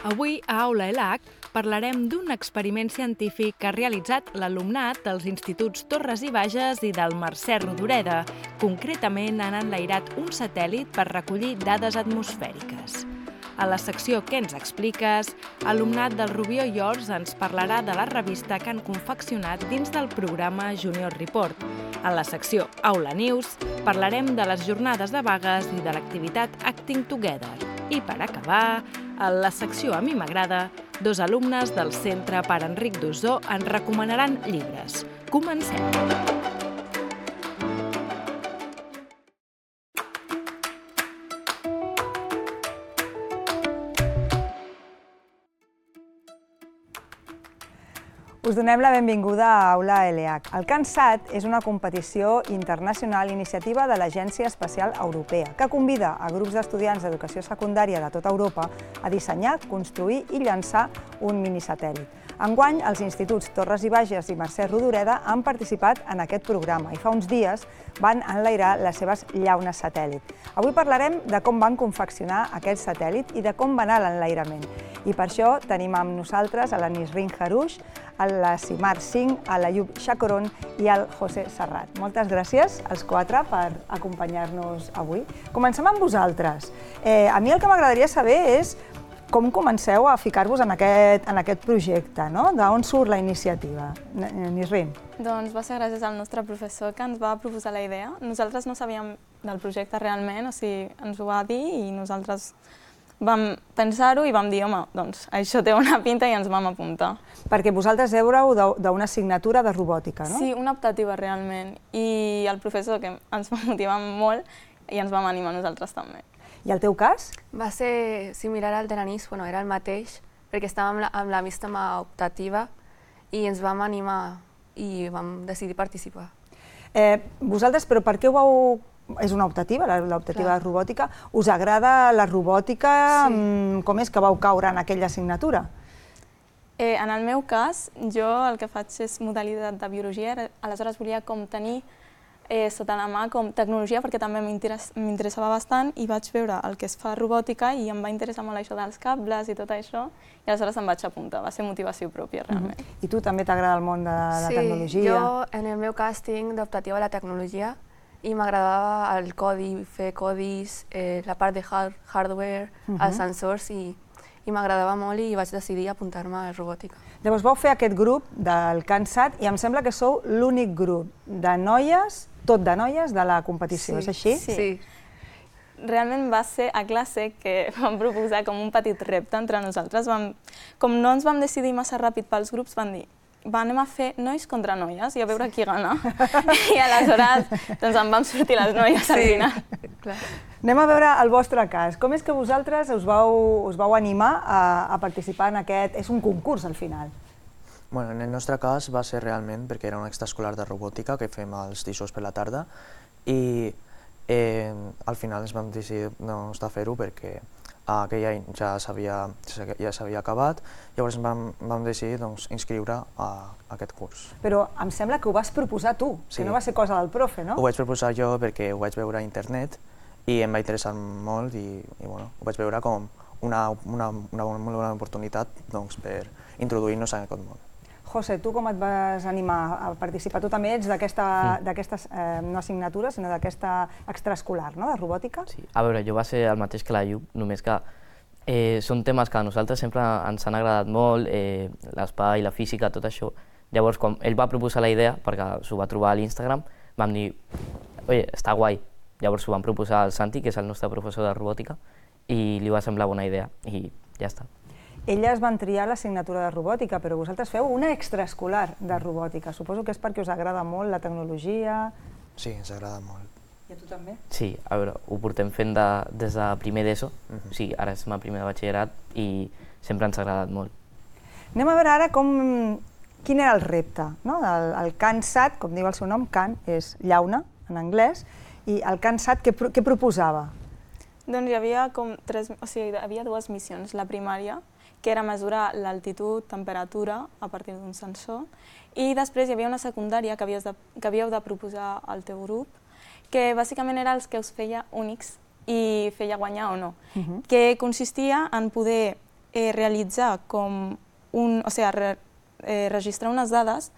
Avui, a Aula ELAC, parlarem d'un experiment científic que ha realitzat l'alumnat dels instituts Torres i Bages i del Mercè Rodoreda. Concretament, han enlairat un satèl·lit per recollir dades atmosfèriques. A la secció Què ens expliques?, alumnat del Rubió i Ors ens parlarà de la revista que han confeccionat dins del programa Junior Report. A la secció Aula News parlarem de les jornades de vagues i de l'activitat Acting Together. I per acabar, a la secció A mi m'agrada, dos alumnes del Centre Pare Enric d'Ossó ens recomanaran llibres. Comencem! Us donem la benvinguda a Aula ELAC. El CANSAT és una competició internacional iniciativa de l'Agència Espacial Europea que convida a grups d'estudiants d'educació secundària de tota Europa a dissenyar, construir i llançar un minisatèl·lit. Enguany, els instituts Torres i Bages i Mercè Rodoreda han participat en aquest programa i fa uns dies van enlairar les seves llaunes satèl·lit. Avui parlarem de com van confeccionar aquest satèl·lit i de com va anar l'enlairament. I per això tenim amb nosaltres a la Nisrin Harouch, a la Simar Singh, a l'Ayub Chakoron i al José Serrat. Moltes gràcies als quatre per acompanyar-nos avui. Comencem amb vosaltres. A mi el que m'agradaria saber és com comenceu a ficar-vos en aquest projecte, no? D'on surt la iniciativa? Nisrin. Doncs va ser gràcies al nostre professor que ens va proposar la idea. Nosaltres no sabíem del projecte realment, o sigui, ens ho va dir i nosaltres vam pensar-ho i vam dir, home, doncs això té una pinta i ens vam apuntar. Perquè vosaltres éreu d'una assignatura de robòtica, no? Sí, una optativa realment. I el professor, que ens va motivar molt, i ens vam animar nosaltres també. I el teu cas? Va ser similar al de l'Anís, era el mateix, perquè estàvem amb la místama optativa i ens vam animar i vam decidir participar. Vosaltres, però per què ho vau... És una optativa, l'optativa de robòtica. Us agrada la robòtica? Sí. Com és que vau caure en aquella assignatura? En el meu cas, jo el que faig és modalitat de biologia, aleshores volia com tenir sota la mà com tecnologia, perquè també m'interessava bastant i vaig veure el que es fa robòtica i em va interessar molt això dels cables i tot això, i aleshores em vaig apuntar, va ser motivació pròpia realment. I tu també t'agrada el món de la tecnologia? Sí, jo en el meu cas tinc d'optativa a la tecnologia i m'agradava el codi, fer codis, la part de hardware, els sensors i m'agradava molt i vaig decidir apuntar-me a robòtica. Llavors vau fer aquest grup del CANSAT i em sembla que sou l'únic grup de noies, tot de noies, de la competició, és així? Sí. Realment va ser a classe que vam proposar com un petit repte entre nosaltres. Com no ens vam decidir massa ràpid pels grups, vam dir anem a fer nois contra noies i a veure qui gana. I aleshores en vam sortir les noies al final. Anem a veure el vostre cas. Com és que vosaltres us vau animar a participar en aquest... És un concurs al final. En el nostre cas va ser realment perquè era un extraescolar de robòtica que fem els dijous per la tarda i al final ens vam decidir de fer-ho perquè aquell any ja s'havia acabat, llavors vam decidir inscriure a aquest curs. Però em sembla que ho vas proposar tu, que no va ser cosa del profe, no? Ho vaig proposar jo perquè ho vaig veure a internet i em va interessar molt i ho vaig veure com una molt bona oportunitat per introduir-nos en aquest món. José, tu com et vas animar a participar? Tu també ets d'aquesta, no assignatura, sinó d'aquesta extraescolar, no?, de robòtica? Sí, a veure, jo va ser el mateix que la Ayub, només que són temes que a nosaltres sempre ens han agradat molt, l'espai, la física, tot això. Llavors, quan ell va proposar la idea, perquè s'ho va trobar a l'Instagram, vam dir, oi, està guai. Llavors ho vam proposar al Santi, que és el nostre professor de robòtica, i li va semblar bona idea, i ja està. Elles van triar l'assignatura de robòtica, però vosaltres feu una extraescolar de robòtica. Suposo que és perquè us agrada molt la tecnologia... Sí, ens agrada molt. I a tu també? Sí, a veure, ho portem fent des de primer d'ESO, o sigui, ara estem a primer de batxillerat i sempre ens ha agradat molt. Anem a veure ara quin era el repte, no? El CANSAT, com diu el seu nom, CAN és llauna en anglès, i el CANSAT què proposava? Doncs hi havia dues missions. La primària, que era mesurar l'altitud, temperatura, a partir d'un sensor, i després hi havia una secundària que havíeu de proposar al teu grup, que bàsicament era els que us feia únics i feia guanyar o no, que consistia en poder realitzar com registrar unes dades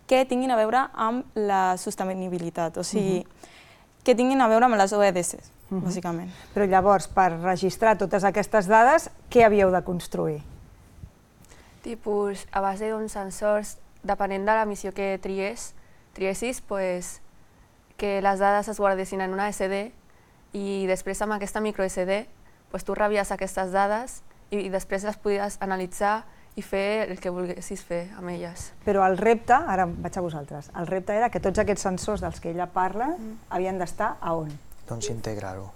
que tinguin a veure amb la sostenibilitat, o sigui, que tinguin a veure amb les OEDs, bàsicament. Però llavors, per registrar totes aquestes dades, què havíeu de construir? Tipus, a base d'uns sensors, depenent de la missió que triessis, que les dades es guardessin en una SD i després amb aquesta micro SD tu rebies aquestes dades i després les podies analitzar i fer el que volguessis fer amb elles. Però el repte, ara vaig a vosaltres, el repte era que tots aquests sensors dels que ella parla havien d'estar a on? Doncs integrar-ho.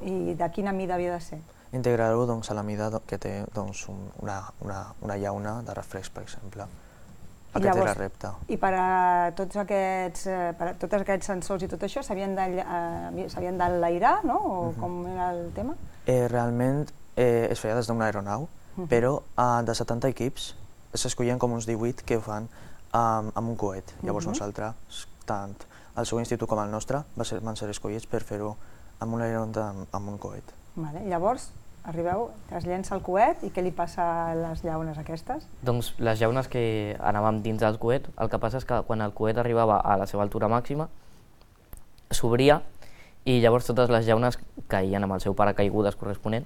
I de quina mida havia de ser? Integrar-ho a la mida que té una llauna de reflex, per exemple. Aquest era el repte. I per a tots aquests sensors i tot això s'havien d'enlairar, no? O com era el tema? Realment es feia des d'una aeronau, però de 70 equips s'escollien com uns 18 que ho fan amb un coet. Llavors nosaltres, tant el seu institut com el nostre, van ser escollits per fer-ho amb un aeron amb un coet. Llavors, arribeu, es llença el coet i què li passa a les llaunes aquestes? Doncs les llaunes que anàvem dins del coet, el que passa és que quan el coet arribava a la seva altura màxima, s'obria i llavors totes les llaunes caïen amb el seu paracaigudes corresponent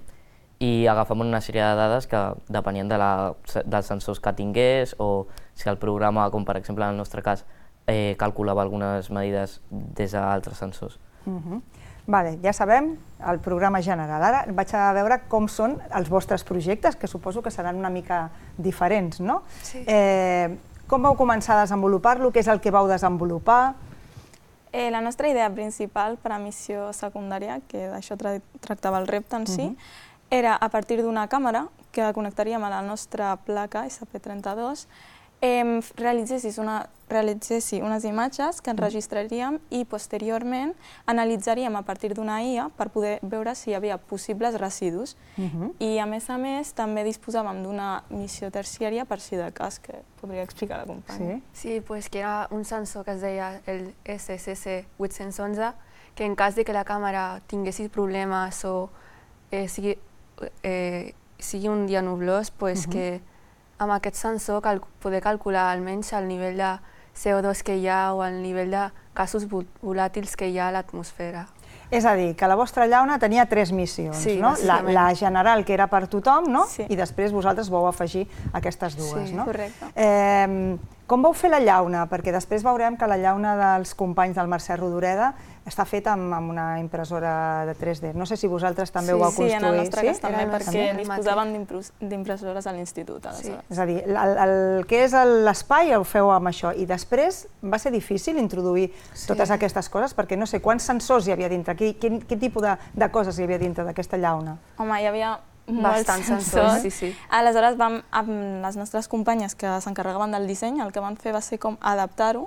i agafàvem una sèrie de dades que depenien dels sensors que tingués o si el programa, com per exemple en el nostre cas, calculava algunes medides des d'altres sensors. Ja sabem el programa general. Ara vaig a veure com són els vostres projectes, que suposo que seran una mica diferents, no? Sí. Com vau començar a desenvolupar-lo? Què és el que vau desenvolupar? La nostra idea principal per a missió secundària, que d'això tractava el repte en si, era a partir d'una càmera que connectaríem a la nostra placa SP32, realitzessi unes imatges que enregistraríem i posteriorment analitzaríem a partir d'una IA per poder veure si hi havia possibles residus. I a més també disposàvem d'una missió terciària per si de cas, que podria explicar la companya. Sí, que era un sensor que es deia el SSC 811, que en cas de que la càmera tinguessi problemes o sigui un dia nublós, que amb aquest sensor poder calcular almenys el nivell de CO2 que hi ha o el nivell de gasos volàtils que hi ha a l'atmosfera. És a dir, que la vostra llauna tenia 3 missions, no? La general, que era per tothom, no? I després vosaltres vau afegir aquestes dues, no? Sí, correcte. Com vau fer la llauna? Perquè després veurem que la llauna dels companys del Mercè Rodoreda està feta amb una impressora de 3D. No sé si vosaltres també ho vau construir. Sí, en el nostre cas també, perquè disposàvem d'impressores a l'institut. És a dir, el que és l'espai ho feu amb això. I després va ser difícil introduir totes aquestes coses, perquè no sé quants sensors hi havia dintre, quin tipus de coses hi havia dintre d'aquesta llauna. Home, hi havia molts sensors. Aleshores, amb les nostres companyes que s'encarregaven del disseny, el que van fer va ser com adaptar-ho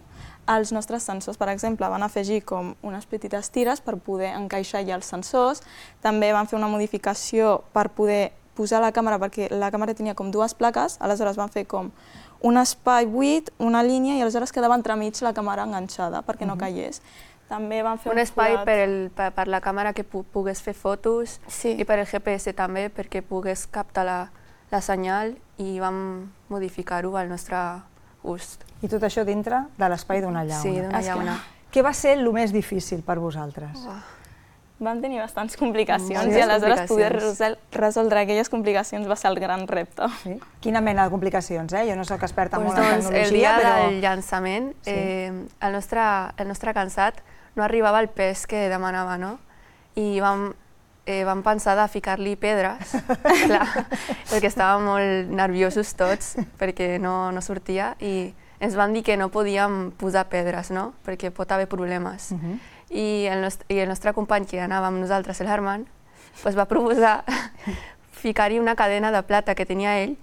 als nostres sensors. Per exemple, van afegir com unes petites tires per poder encaixar allà els sensors. També van fer una modificació per poder posar la càmera, perquè la càmera tenia com 2 plaques, aleshores van fer com un espai buit, una línia, i aleshores quedava entremig la càmera enganxada perquè no caigués. També van fer un espai per la càmera que pogués fer fotos i per el GPS també, perquè pogués captar la senyal, i vam modificar-ho al nostre gust. I tot això dintre de l'espai d'una llauna. Sí, d'una llauna. Què va ser el més difícil per vosaltres? Vam tenir bastants complicacions i aleshores poder resoldre aquelles complicacions va ser el gran repte. Quina mena de complicacions? Jo no soc experta molt en tecnologia, però... El dia del llançament, el nostre cansat no arribava al pes que demanava, no? I vam pensar de ficar-li pedres, perquè estàvem molt nerviosos tots, perquè no sortia, i ens van dir que no podíem posar pedres, no? Perquè pot haver problemes. I el nostre company, que anava amb nosaltres, el Herman, va proposar ficar-hi una cadena de plata que tenia ell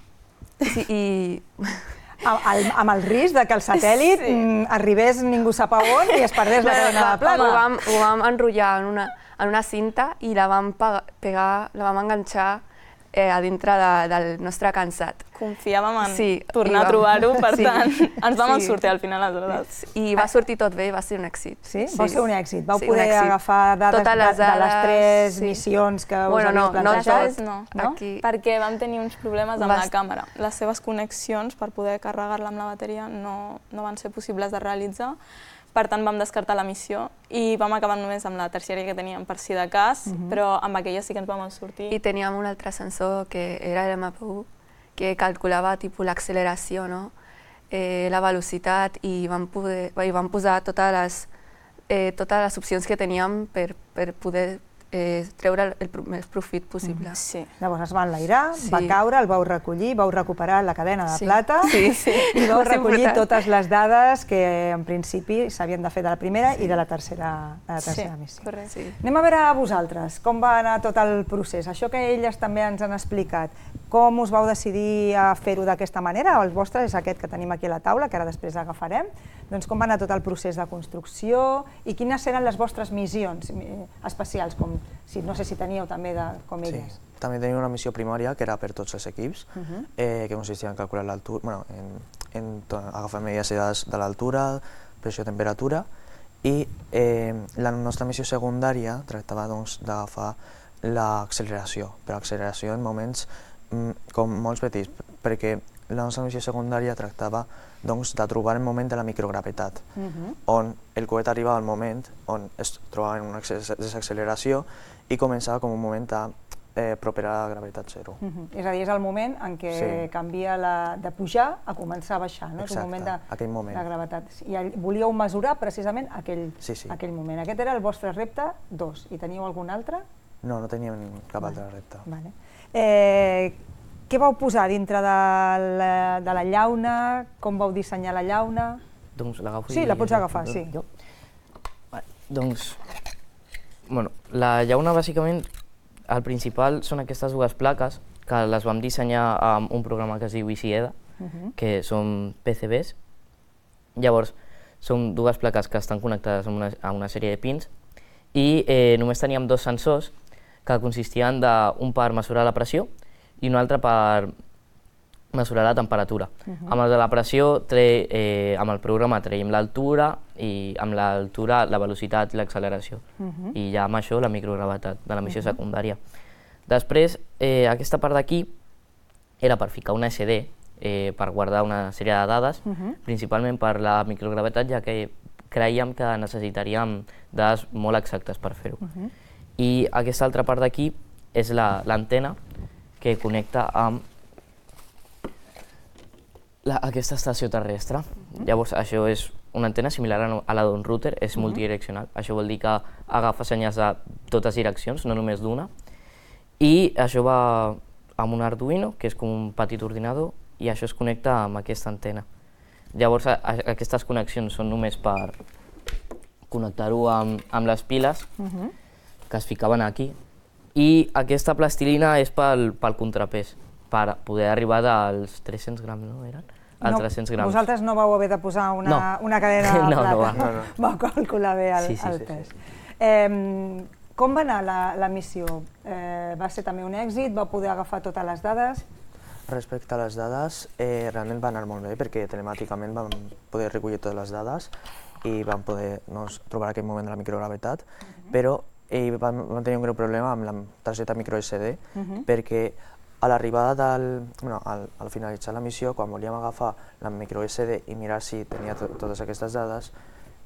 i... Amb el risc que el satèl·lit arribés ningú sap a on i es perdés la cadena de plata. Ho vam enrotllar en una cinta i la vam enganxar a dintre del nostre cansat. Confiàvem en Sí, tornar a trobar-ho, per tant, ens vam Sí. sortir al final les dades. I va sortir tot bé, va ser un èxit. Sí? Va ser un èxit. Vau Sí, poder un èxit. agafar dades Totes les de les dades, 3 sí. missions que us Bueno, havíeu no plantejat? totes, No? Aquí- Perquè vam tenir uns problemes amb Vas- la càmera. Les seves connexions per poder carregar-la amb la bateria no van ser possibles de realitzar. Per tant, vam descartar la missió i vam acabar només amb la terciària que teníem per si de cas, però amb aquella sí que ens vam sortir. I teníem un altre sensor que era el MPU, que calculava l'acceleració, no? La velocitat, i vam posar totes les opcions que teníem per poder treure el més profit possible. Sí. Llavors es va enlairar, Sí. va caure, el vau recollir, vau recuperar la cadena de Sí. plata Sí. i vau Va ser recollir important. totes les dades que en principi s'havien de fer de la primera i de la tercera Sí, missió. correcte. Sí. Anem a veure a vosaltres, com va anar tot el procés. Això que elles també ens han explicat, com us vau decidir a fer-ho d'aquesta manera? El vostre és aquest que tenim aquí a la taula, que ara després agafarem. Doncs com va anar tot el procés de construcció i quines eren les vostres missions especials, com no sé si teníeu també com Sí. elles. També tenim una missió primària que era per tots els equips, que consistia en calcular l'altura, bueno, en agafar medides i dades de l'altura, pressió, temperatura, i la nostra missió secundària tractava d'agafar l'acceleració, però acceleració en moments com molt petits, perquè la nostra missió secundària tractava de trobar el moment de la microgravetat, on el coet arribava al moment on es trobava en una desacceleració i començava com un moment proper a la gravetat zero. És a dir, és el moment en què canvia de pujar a començar a baixar, no? És un moment aquell moment. de gravetat. I volíeu mesurar precisament aquell moment. Aquest era el vostre repte 2. I teníeu algun altre? No, no teníem cap altre repte. Què vau posar dintre de la llauna? Com vau dissenyar la llauna? Doncs l'agafo. Sí, la pots agafar, sí. Doncs, la llauna bàsicament, el principal són aquestes dues plaques que les vam dissenyar amb un programa que es diu EasyEDA, que són PCBs. Llavors, són dues plaques que estan connectades a una sèrie de pins i només teníem dos sensors que consistien d'un per mesurar la pressió i un altre per mesurar la temperatura. Amb el de la pressió, amb el programa traiem l'altura i amb l'altura la velocitat i l'acceleració. I ja amb això la microgravetat de la missió secundària. Després, aquesta part d'aquí era per ficar una SD per guardar una sèrie de dades, principalment per la microgravetat, ja que creiem que necessitaríem dades molt exactes per fer-ho. I aquesta altra part d'aquí és l'antena que connecta amb aquesta estació terrestre. Llavors, això és una antena similar a la d'un router, és multidireccional. Això vol dir que agafa senyals de totes direccions, no només d'una. I això va amb un Arduino, que és com un petit ordinador, i això es connecta amb aquesta antena. Llavors, aquestes connexions són només per connectar-ho amb les piles, que es ficaven aquí. I aquesta plastilina és pel contrapès, per poder arribar dels 300 grams, no eren? Als 300 grams. Vosaltres no vau haver de posar una cadena de plata. No. Vau calcular bé el pes. Com va anar la missió? Va ser també un èxit? Vau poder agafar totes les dades? Respecte a les dades, realment va anar molt bé perquè telemàticament vam poder recollir totes les dades i vam poder trobar aquell moment de la microgravetat, però vam tenir un greu problema amb la targeta microSD perquè a l'arribada al finalitzar la missió, quan volíem agafar la microSD i mirar si tenia totes aquestes dades,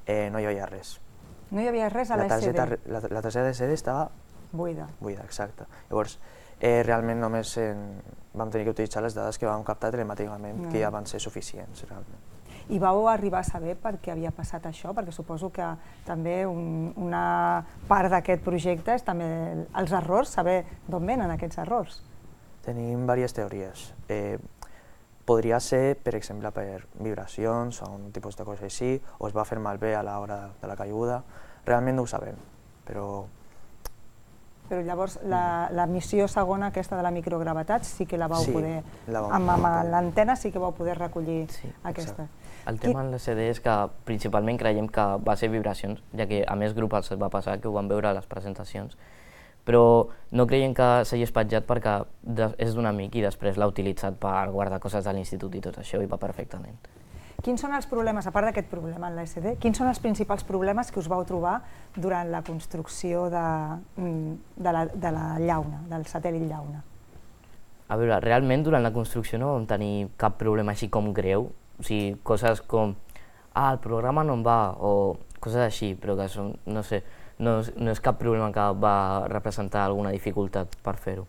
no hi havia res. No hi havia res a l'SD? La targeta SD estava buida. Buida, exacte. Llavors, realment només vam tenir que utilitzar les dades que vam captar telemàticament, que ja van ser suficients, realment. I vau arribar a saber per què havia passat això? Perquè suposo que també una part d'aquest projecte és també els errors, saber d'on venen aquests errors. Tenim diverses teories. Podria ser, per exemple, per vibracions o un tipus de cosa així, o es va fer malbé a l'hora de la caiguda. Realment no ho sabem, però... Però llavors la missió segona, aquesta de la microgravetat, sí que la vau poder... Amb l'antena sí que vau poder recollir aquesta. El tema en l'SD és que principalment creiem que va ser vibracions, ja que a més grup els va passar que ho van veure a les presentacions, però no creiem que s'hagi espatllat perquè és d'un amic i després l'ha utilitzat per guardar coses de l'institut i tot això i va perfectament. Quins són els problemes, a part d'aquest problema en l'ESD, quins són els principals problemes que us vau trobar durant la construcció de la llauna, del satèl·lit llauna? A veure, realment durant la construcció no vam tenir cap problema així com greu, o sigui, coses com el programa no em va, o coses així, però que són, no sé, no és cap problema que va representar alguna dificultat per fer-ho.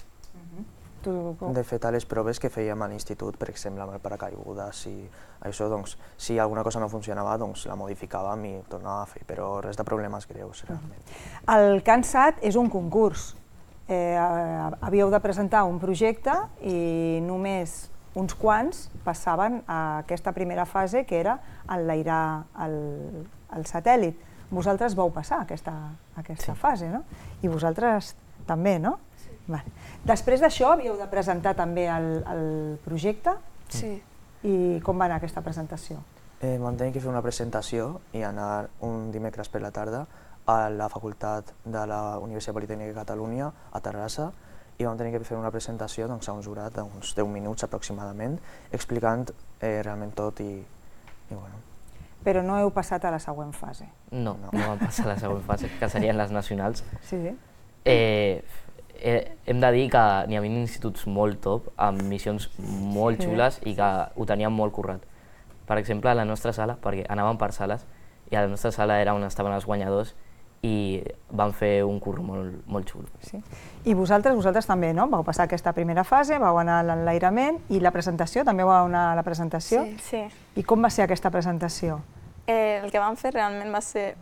De fet, a les proves que fèiem a l'institut, per exemple, amb el paracaigudes i això, doncs, si alguna cosa no funcionava, doncs la modificàvem i tornàvem a fer, però res de problemes greus, realment. El CANSAT és un concurs. Havíeu de presentar un projecte i només uns quants passaven a aquesta primera fase, que era enlairar el satèl·lit. Vosaltres vau passar aquesta fase, no? I vosaltres també, no? Vale. Després d'això havíeu de presentar també el projecte? Sí. I com va anar aquesta presentació? Vam tenir que fer una presentació i anar un dimecres per la tarda a la facultat de la Universitat Politècnica de Catalunya, a Terrassa, i vam tenir que fer una presentació a un jurat d'uns 10 minuts aproximadament, explicant realment tot i bueno. Però no heu passat a la següent fase? No vam passar a la següent fase, que serien les nacionals. Sí. Hem de dir que n'hi havia instituts molt top, amb missions molt xules i que ho teníem molt currat. Per exemple, a la nostra sala, perquè anàvem per sales, i a la nostra sala era on estaven els guanyadors i van fer un curro molt xulo. I vosaltres també, no? Vau passar aquesta primera fase, vau anar a l'enlairament i la presentació, també vau anar a la presentació? Sí. I com va ser aquesta presentació? El que vam fer realment va ser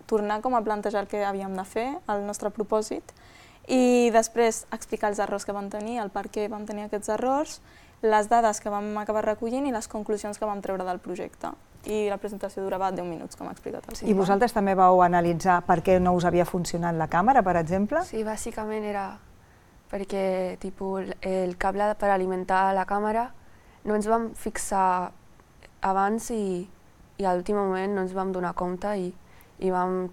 tornar com a plantejar el que havíem de fer, el nostre propòsit, i després explicar els errors que vam tenir, el per què vam tenir aquests errors, les dades que vam acabar recollint i les conclusions que vam treure del projecte. I la presentació durava 10 minuts, com ha explicat el I vosaltres també vau analitzar per què no us havia funcionat la càmera, per exemple? Sí, bàsicament era perquè el cable per alimentar la càmera no ens vam fixar abans i a l'últim moment no ens vam donar compte i vam,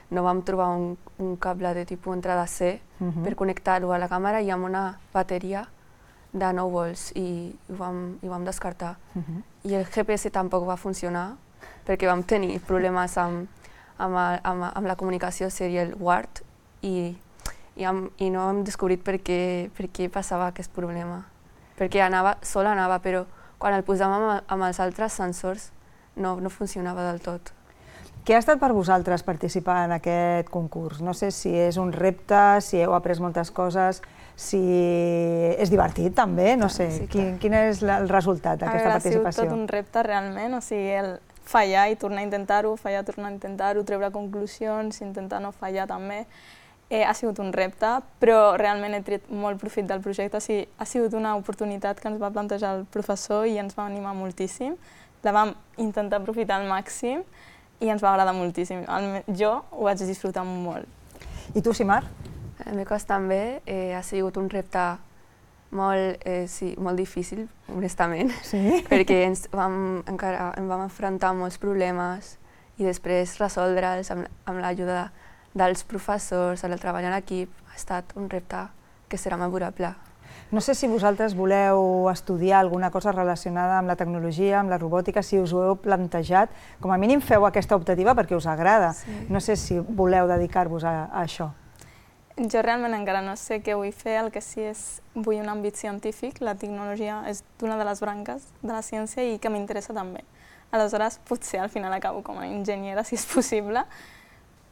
no vam trobar un cable de entrada C per connectar-ho a la càmera i amb una bateria de 9 volts i ho vam descartar. I el GPS tampoc va funcionar perquè vam tenir problemes amb la comunicació serial WART i no hem descobrit per què passava aquest problema. Perquè sol anava, però quan el posàvem amb els altres sensors no funcionava del tot. Què ha estat per vosaltres participar en aquest concurs? No sé si és un repte, si heu après moltes coses, si és divertit també, no sé. Quin és el resultat d'aquesta participació? Ha sigut tot un repte realment, o sigui, el fallar i tornar a intentar-ho, fallar, tornar a intentar-ho, treure conclusions, intentar no fallar també. Ha sigut un repte, però realment he tret molt profit del projecte, o sigui, ha sigut una oportunitat que ens va plantejar el professor i ens va animar moltíssim. La vam intentar aprofitar al màxim i ens va agradar moltíssim. Jo ho vaig disfrutar molt. I tu, Simar? En el meu cas també ha sigut un repte molt difícil, honestament, perquè ens vam enfrontar molts problemes i després resoldre'ls amb l'ajuda dels professors, el treball en equip, ha estat un repte que serà memorable. No sé si vosaltres voleu estudiar alguna cosa relacionada amb la tecnologia, amb la robòtica, si us ho heu plantejat. Com a mínim feu aquesta optativa perquè us agrada. No sé si voleu dedicar-vos a això. Jo realment encara no sé què vull fer, el que sí és vull un àmbit científic, la tecnologia és una de les branques de la ciència i que m'interessa també. Aleshores, potser al final acabo com a enginyera, si és possible,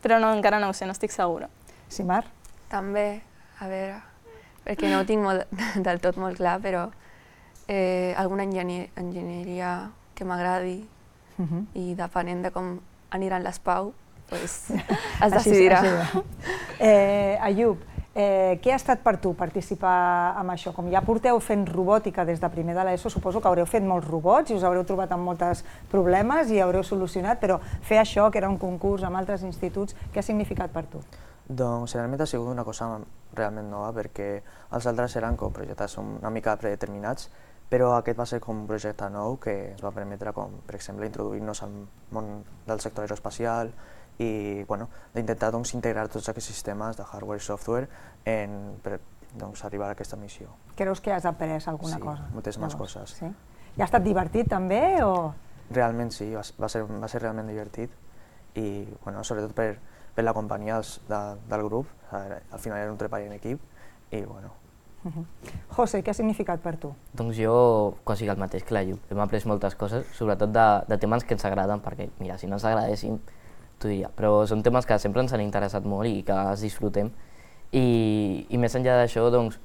però encara no ho sé, no estic segura. Simar? També, a veure, perquè no ho tinc del tot molt clar, però alguna enginyeria que m'agradi i depenent de com aniran les PAU, es decidirà. Ayub, què ha estat per tu participar en això? Com ja porteu fent robòtica des de primer de l'ESO, suposo que haureu fet molts robots i us haureu trobat amb molts problemes i haureu solucionat, però fer això, que era un concurs amb altres instituts, què ha significat per tu? Doncs realment ha sigut una cosa realment nova perquè els altres eren com projectes una mica predeterminats, però aquest va ser com un projecte nou que ens va permetre, com per exemple, introduir-nos al món del sector aeroespacial i d'intentar integrar tots aquests sistemes de hardware i software per arribar a aquesta missió. Creus que has après alguna cosa? Sí, moltíssimes coses. I ha estat divertit també? Realment sí, va ser realment divertit i sobretot per la companyia del grup, al final era un treball en equip i bueno. José, què ha significat per tu? Doncs jo quasi el mateix que la Lluc. Hem après moltes coses, sobretot de temes que ens agraden, perquè mira, si no ens agradessin, t'ho diria, però són temes que sempre ens han interessat molt i que els disfrutem. I més enllà d'això, doncs,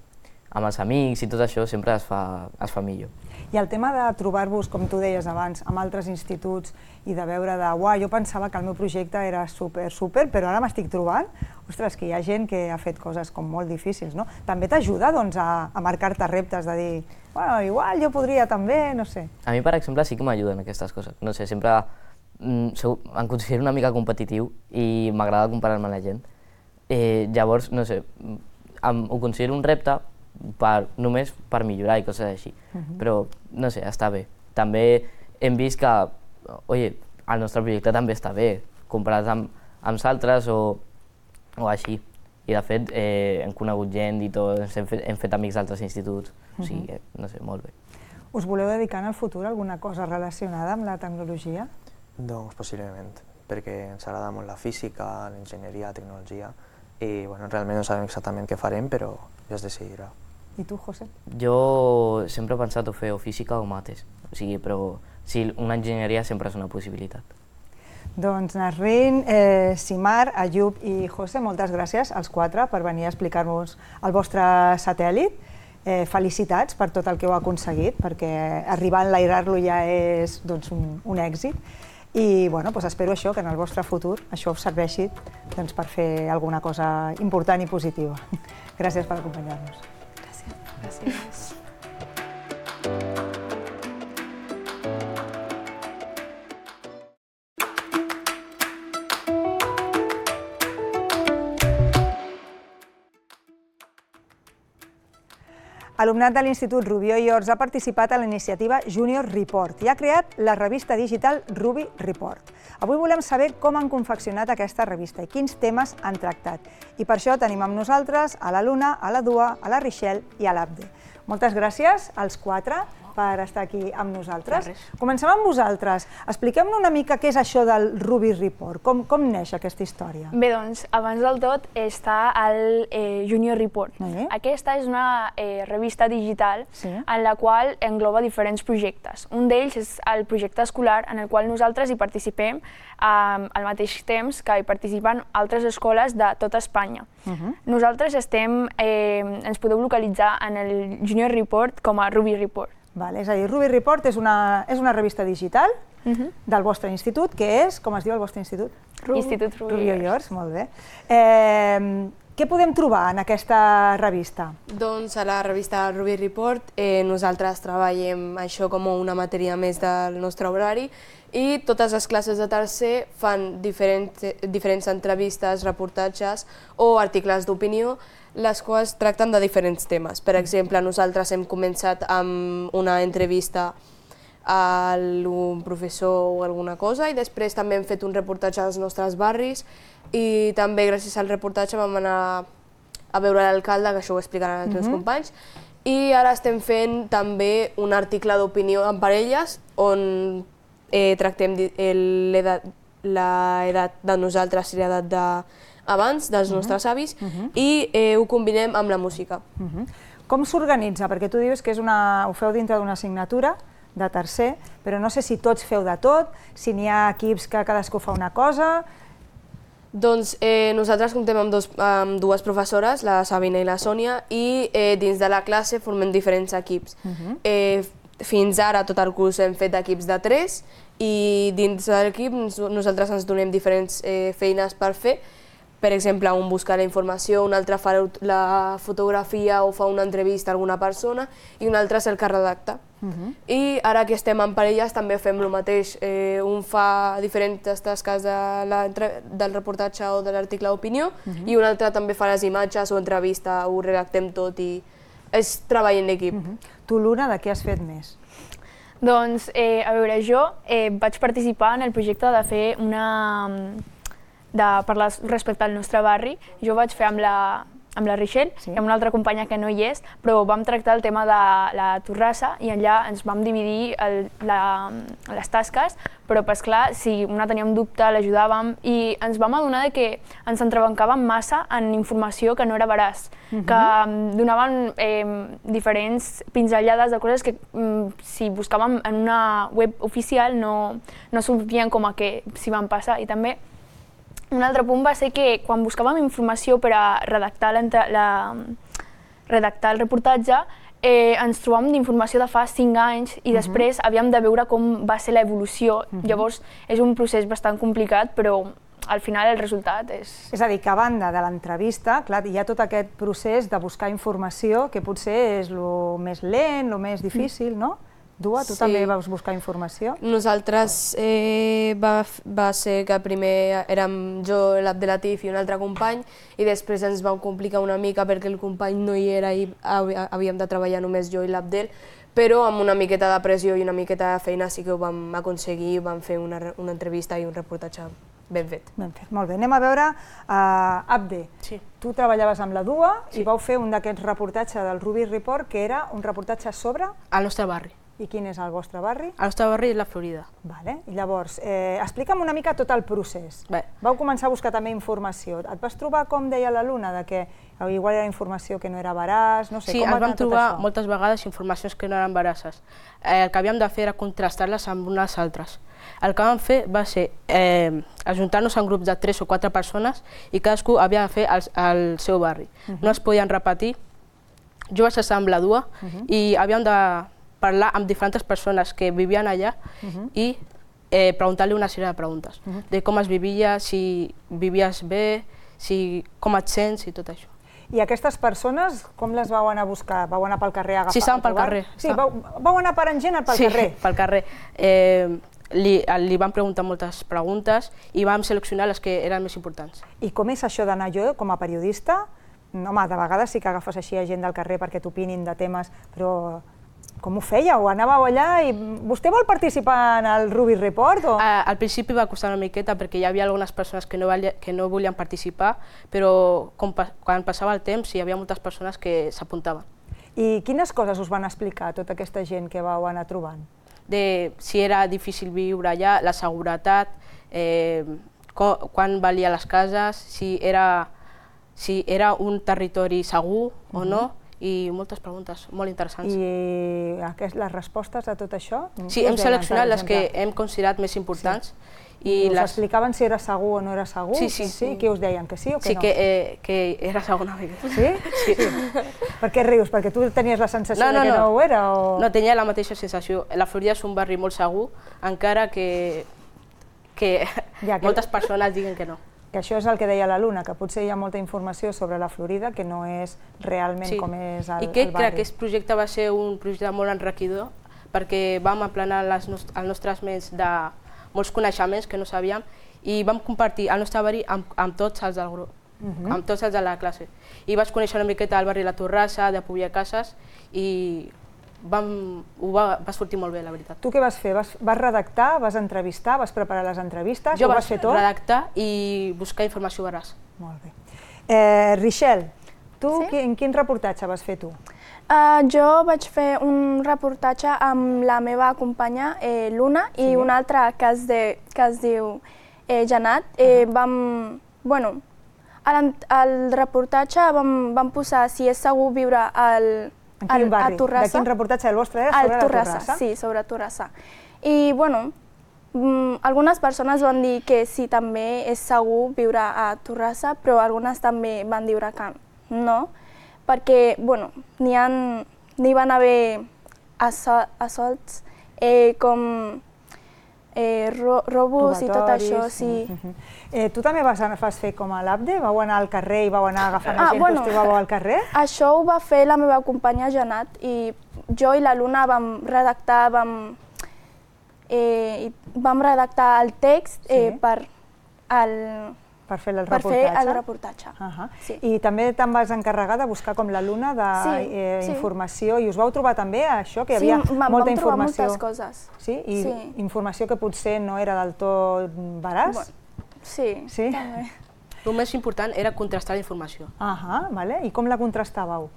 amb els amics i tot això sempre es fa millor. I el tema de trobar-vos, com tu deies abans, amb altres instituts i de veure jo pensava que el meu projecte era super, però ara m'estic trobant, ostres, que hi ha gent que ha fet coses com molt difícils, no? També t'ajuda, doncs, a marcar-te reptes, de dir, bueno, igual jo podria també, no sé. A mi, per exemple, sí que m'ajuden aquestes coses. No sé, sempre em considero una mica competitiu i m'agrada comparar-me amb la gent. Llavors, no sé, ho considero un repte només per millorar i coses així, però no sé, està bé. També hem vist que, el nostre projecte també està bé, comparat amb altres o així. I de fet hem conegut gent i tot, hem fet amics d'altres instituts, o sigui, no sé, molt bé. Us voleu dedicar en el futur a alguna cosa relacionada amb la tecnologia? Doncs possiblement, perquè ens agrada molt la física, l'enginyeria, la tecnologia, i realment no sabem exactament què farem, però ja es decidirà. I tu, José? Jo sempre he pensat fer o física o mates, però sí, una enginyeria sempre és una possibilitat. Doncs Nasrin, Simar, Ayub i José, moltes gràcies als quatre per venir a explicar-nos el vostre satèl·lit. Felicitats per tot el que heu aconseguit, perquè arribar a enlairar-lo ja és un èxit. I espero que en el vostre futur això us serveixi per fer alguna cosa important i positiva. Gràcies per acompanyar-nos. Gràcies. Alumnat de l'Institut Rubió i Ors ha participat a la iniciativa Junior Report i ha creat la revista digital Ruby Report. Avui volem saber com han confeccionat aquesta revista i quins temes han tractat. I per això tenim amb nosaltres a la Luna, a la Dua, a la Richelle i a l'Abde. Moltes gràcies als quatre per estar aquí amb nosaltres. Comencem amb vosaltres. Expliquem-nos una mica què és això del Ruby Report, com neix aquesta història. Bé, doncs, abans del tot està el Junior Report. Aquesta és una revista digital en la qual engloba diferents projectes. Un d'ells és el projecte escolar en el qual nosaltres hi participem al mateix temps que hi participen altres escoles de tota Espanya. Nosaltres ens podeu localitzar en el Junior Report com a Ruby Report. És a dir, Ruby Report és una revista digital del vostre institut, que és, com es diu el vostre institut? Institut Rubió i Ors. Molt bé. Què podem trobar en aquesta revista? Doncs a la revista Ruby Report nosaltres treballem això com una matèria més del nostre horari i totes les classes de tercer fan diferents entrevistes, reportatges o articles d'opinió, les quals tracten de diferents temes. Per exemple, nosaltres hem començat amb una entrevista a un professor o alguna cosa i després també hem fet un reportatge als nostres barris i també gràcies al reportatge vam anar a veure l'alcalde, que això ho explicaran els meus companys, i ara estem fent també un article d'opinió en parelles on tractem l'edat de nosaltres i l'edat d'abans, dels nostres avis, i ho combinem amb la música. Com s'organitza? Perquè tu dius que ho feu dintre d'una assignatura de tercer, però no sé si tots feu de tot, si n'hi ha equips que cadascú fa una cosa. Doncs nosaltres comptem amb dues professores, la Sabina i la Sònia, i dins de la classe formem diferents equips. Fins ara, tot el curs, hem fet equips de 3 i dins de l'equip nosaltres ens donem diferents feines per fer. Per exemple, un busca la informació, un altre fa la fotografia o fa una entrevista a alguna persona i un altre és el que redacta. I ara que estem en parelles també fem el mateix. Un fa diferents tasques del reportatge o de l'article d'opinió i un altre també fa les imatges o entrevista, ho redactem tot i és treball en equip. Tu, Luna, de què has fet més? Doncs, a veure, jo vaig participar en el projecte de fer parlar respecte al nostre barri. Jo ho vaig fer amb la Richelle i amb una altra companya que no hi és, però vam tractar el tema de la torrassa i allà ens vam dividir les tasques, però clar, si una teníem dubte, l'ajudàvem i ens vam adonar que ens entrebancàvem massa en informació que no era veraç, que donaven diferents pinzellades de coses que si buscàvem en una web oficial no sortien com a que s'hi van passar. I també un altre punt va ser que quan buscàvem informació per a redactar el reportatge ens trobàvem d'informació de fa 5 anys i després havíem de veure com va ser l'evolució. Llavors és un procés bastant complicat, però al final el resultat és... És a dir, que a banda de l'entrevista, clar, hi ha tot aquest procés de buscar informació que potser és el més lent, el més difícil, no? Dua, tu també vas buscar informació? Nosaltres va ser que primer érem jo, l'Abdelatif i un altre company i després ens vam complicar una mica perquè el company no hi era i havíem de treballar només jo i l'Abdel, però amb una miqueta de pressió i una miqueta de feina sí que ho vam aconseguir, vam fer una entrevista i un reportatge ben fet. Ben fet, molt bé. Anem a veure, Abde, tu treballaves amb la Dua i vau fer un d'aquests reportatges del Rubis Report que era un reportatge sobre... El nostre barri. I quin és el vostre barri? El nostre barri és la Florida. I llavors, explica'm una mica tot el procés. Vau començar a buscar també informació. Et vas trobar, com deia la Luna, que igual era informació que no era veraç, no sé, com va anar tot això? Sí, ens vam trobar moltes vegades informacions que no eren veraces. El que havíem de fer era contrastar-les amb unes altres. El que vam fer va ser ajuntar-nos en grups de 3 o 4 persones i cadascú havia de fer el seu barri. No es podien repetir. Jo vaig estar amb la Dua i havíem de parlar amb diferents persones que vivien allà i preguntar-li una sèrie de preguntes, de com es vivia, si vivies bé, com et sents i tot això. I aquestes persones, com les vau anar a buscar? Vau anar pel carrer a agafar? Sí, estaven pel carrer. Sí, vau anar parant gent pel carrer? Sí, pel carrer. Li vam preguntar moltes preguntes i vam seleccionar les que eren més importants. I com és això d'anar jo, com a periodista? Home, de vegades sí que agafes així a gent del carrer perquè t'opinin de temes, però... Com ho fèieu? Anàveu allà i... Vostè vol participar en el Rubis Report? Al principi va costar una miqueta perquè hi havia algunes persones que no volien participar, però quan passava el temps hi havia moltes persones que s'apuntaven. I quines coses us van explicar tota aquesta gent que vau anar trobant? Si era difícil viure allà, la seguretat, quan valia les cases, si era un territori segur o no, i moltes preguntes molt interessants. I les respostes a tot això? Sí, hem seleccionat les que hem considerat més importants. I us explicaven si era segur o no era segur? Sí. Què us deien, que sí o que no? Sí, que era segur una mica. Sí? Per què rius? Perquè tu tenies la sensació que no ho era? No, tenia la mateixa sensació. La Florida és un barri molt segur, encara que moltes persones diguen que no. Que això és el que deia la Luna, que potser hi ha molta informació sobre la Florida que no és realment com és el barri. I crec que aquest projecte va ser un projecte molt enriquidor perquè vam aplanar als nostres ments de molts coneixements que no sabíem i vam compartir el nostre barri amb tots els del grup, amb tots els de la classe. I vaig conèixer una miqueta el barri La Torrassa, de Pubià Cases i va sortir molt bé, la veritat. Tu què vas fer? Vas redactar, vas entrevistar, vas preparar les entrevistes? Jo vaig redactar i buscar informació veraç. Molt bé. Richelle, tu en quin reportatge vas fer tu? Jo vaig fer un reportatge amb la meva companya Luna i un altre que es diu Janat. Al reportatge vam posar si és segur viure a Torrassa. De quin reportatge el vostre era sobre la Torrassa? Sí, sobre Torrassa. I, algunes persones van dir que sí, també és segur viure a Torrassa, però algunes també van dir que no, perquè, n'hi van haver assalts com robos i tot això, sí. Tu també vas fer com a l'Abde? Vau anar al carrer i vau anar agafant gent que us trobàveu al carrer? Això ho va fer la meva companya Janat i jo i la Luna vam redactar el text per fer el reportatge. I també te'n vas encarregar de buscar com la Luna d'informació i us vau trobar també això, que hi havia molta informació? Sí, vam trobar moltes coses. Sí? I informació que potser no era del tot veraç? Sí, Sí? també. El més important era contrastar la informació. Vale. I com la contrastàveu?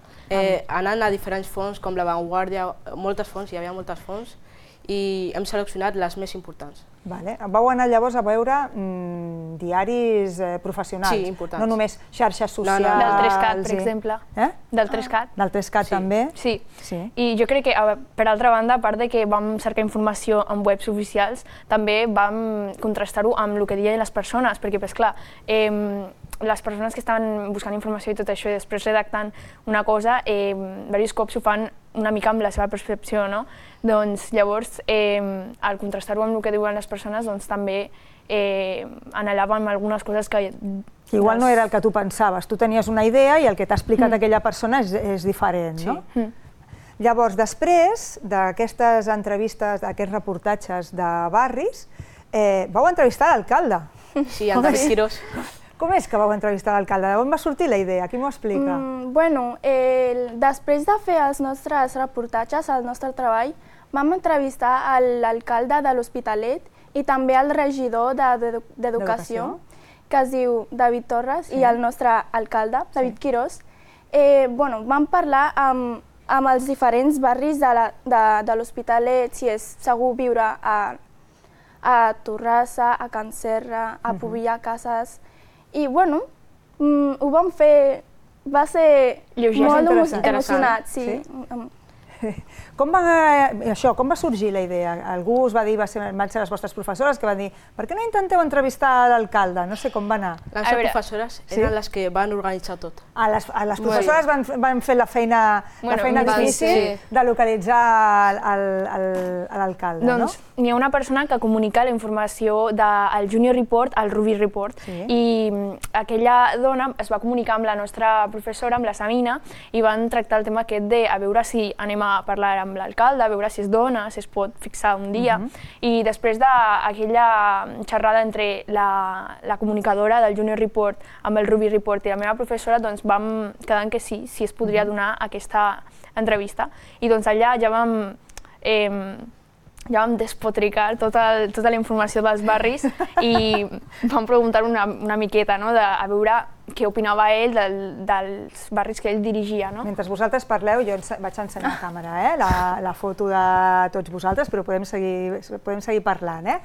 Anant a diferents fonts, com La Vanguardia, moltes fonts, hi havia moltes fonts, i hem seleccionat les més importants. Vale. Vau anar llavors a veure diaris professionals, Sí, importants. no només xarxes socials. Del 3CAT, per exemple. Del 3CAT. Del 3CAT també? Sí. I jo crec que, per altra banda, a part de que vam cercar informació en webs oficials, també vam contrastar-ho amb el que deien les persones, perquè, pues, clar, les persones que estaven buscant informació i tot això i després redactant una cosa, diversos cops ho fan una mica amb la seva percepció, no? Doncs llavors, al contrastar-ho amb el que diuen les persones, doncs també anhelàvem algunes coses que... Igual no era el que tu pensaves, tu tenies una idea i el que t'ha explicat aquella persona és diferent, no? Llavors, després d'aquestes entrevistes, d'aquests reportatges de barris, vau entrevistar l'alcalde. Sí, el David Quirós. Com és que vau entrevistar l'alcalde? D'on va sortir la idea? Qui m'ho explica? Bueno, després de fer els nostres reportatges, el nostre treball, vam entrevistar l'alcalde de l'Hospitalet i també el regidor d'Educació, que es diu David Torres, i el nostre alcalde, David Quirós. Vam parlar amb els diferents barris de l'Hospitalet, si és segur viure a Torrassa, a Can Serra, a Pobilla, Cases. I, bueno, ho vam fer, va ser molt emocionat, sí. Com va sorgir la idea? Algú us va dir, van ser les vostres professores que van dir per què no intenteu entrevistar l'alcalde? No sé com va anar. Les professores eren les que van organitzar tot. Les professores van fer la feina difícil de localitzar l'alcalde, no? Doncs n'hi ha una persona que comunica la informació del Junior Report al Ruby Report i aquella dona es va comunicar amb la nostra professora, amb la Sabina, i van tractar el tema aquest de a veure si anem a parlar amb l'alcalde, a veure si es dona, si es pot fixar un dia. I després d'aquella xerrada entre la comunicadora del Junior Report amb el Ruby Report i la meva professora, doncs vam quedar en que sí, si es podria donar aquesta entrevista. I doncs allà ja vam despotricar tota la informació dels barris i vam preguntar una miqueta, a veure què opinava ell dels barris que ell dirigia. Mentre vosaltres parleu, jo vaig ensenyar a càmera la foto de tots vosaltres, però podem seguir parlant.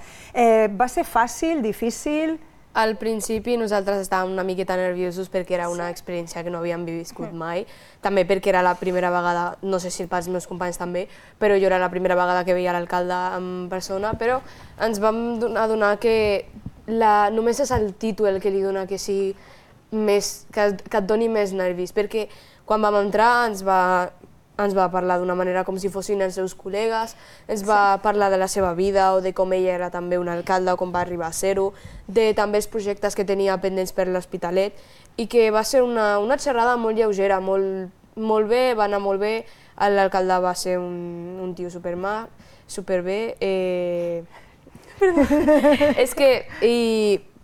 Va ser fàcil, difícil? Al principi nosaltres estàvem una miqueta nerviosos perquè era una experiència que no havíem viscut mai, també perquè era la primera vegada, no sé si pels meus companys també, però jo era la primera vegada que veia l'alcalde en persona, però ens vam adonar que només és el títol que li dona que et doni més nervis, perquè quan vam entrar ens va parlar d'una manera com si fossin els seus col·legues, ens va parlar de la seva vida o de com ell era també un alcalde o com va arribar a ser-ho, de també els projectes que tenia pendents per l'Hospitalet i que va ser una xerrada molt lleugera, molt bé, va anar molt bé, l'alcalde va ser un tio superbé,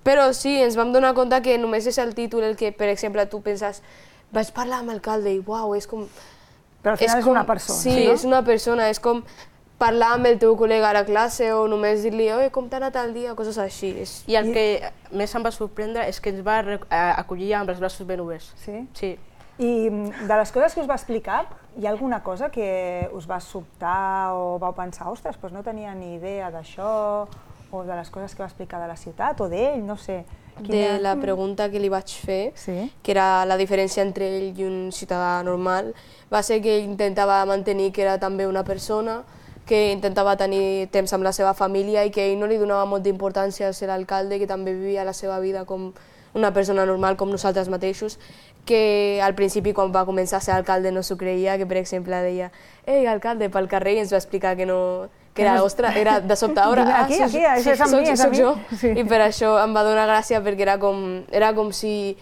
però sí, ens vam donar compte que només és el títol el que, per exemple, tu penses vaig parlar amb l'alcalde i uau, és com... Però al final és una persona, no? Sí, és una persona, és com parlar amb el teu col·lega a la classe o només dir-li com t'ha anat el dia, coses així. I el que més em va sorprendre és que ens va acollir amb els braços ben oberts. Sí? Sí. I de les coses que us va explicar, hi ha alguna cosa que us va sobtar o vau pensar, ostres, doncs no tenia ni idea d'això, o de les coses que va explicar de la ciutat o d'ell, no sé. De la pregunta que li vaig fer, que era la diferència entre ell i un ciutadà normal, va ser que ell intentava mantenir que era també una persona, que intentava tenir temps amb la seva família i que ell no li donava molta importància a ser l'alcalde, que també vivia la seva vida com una persona normal com nosaltres mateixos, que al principi quan va començar a ser alcalde no s'ho creia, que per exemple deia «Ei, alcalde», pel carrer, i ens va explicar que no... que era, ostres, era de sobte, ara, soc jo. I per això em va donar gràcia perquè era com si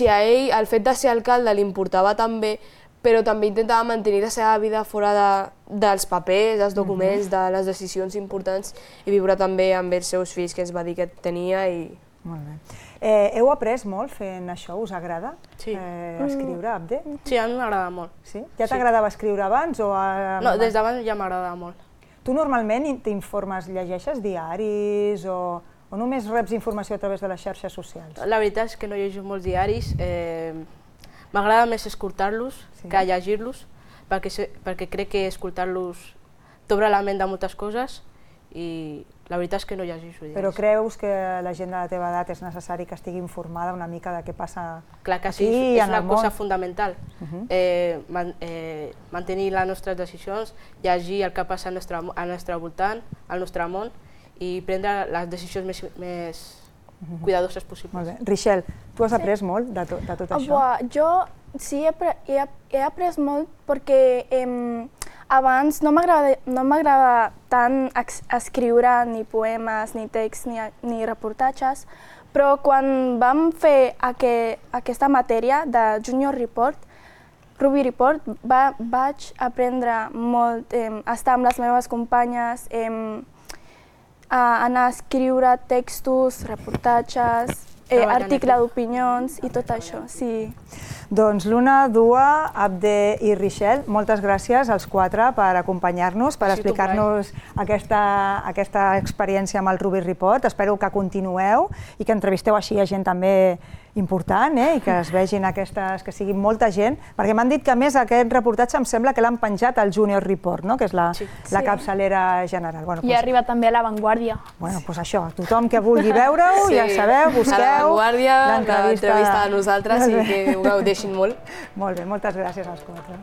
a ell el fet de ser alcalde li importava també, però també intentava mantenir la seva vida fora dels papers, dels documents, de les decisions importants i viure també amb els seus fills, que ens va dir que tenia. Molt bé. Heu après molt fent això? Us agrada escriure, Abde? Sí, a mi m'agrada molt. Ja t'agradava escriure abans? No, des d'abans ja m'agradava molt. Tu normalment t'informes, llegeixes diaris o O només reps informació a través de les xarxes socials? La veritat és que no llegeixo molts diaris. M'agrada més escoltar-los que llegir-los, perquè crec que escoltar-los t'obre la ment de moltes coses i la veritat és que no llegeixo diaris. Però creus que la gent de la teva edat és necessari que estigui informada una mica de què passa Clar que sí, és una cosa fundamental. Mantenir les nostres decisions, llegir el que passa al nostre voltant, al nostre món, i prendre les decisions més cuidadoses possibles. Molt bé. Richelle, tu has après molt de tot això? Jo sí, he après molt perquè abans no m'agradava tant escriure ni poemes, ni text, ni reportatges, però quan vam fer aquesta matèria de Junior Report, Ruby Report, vaig aprendre molt, estar amb les meves companyes, anar a escriure textos, reportatges, article d'opinions i tot això, sí. Doncs Luna, Dua, Abde i Richelle, moltes gràcies als quatre per acompanyar-nos, per explicar-nos aquesta experiència amb el Ruby Report. Espero que continueu i que entrevisteu així a gent també important i que es vegin que siguin molta gent, perquè m'han dit que a més aquest reportatge em sembla que l'han penjat al Junior Report, que és la capçalera general. I arriba també a La Vanguardia. Doncs això, tothom que vulgui veure-ho, ja sabeu, busqueu a La Vanguardia, l'entrevista de nosaltres i que ho gaudeixin molt. Molt bé, moltes gràcies als quatre.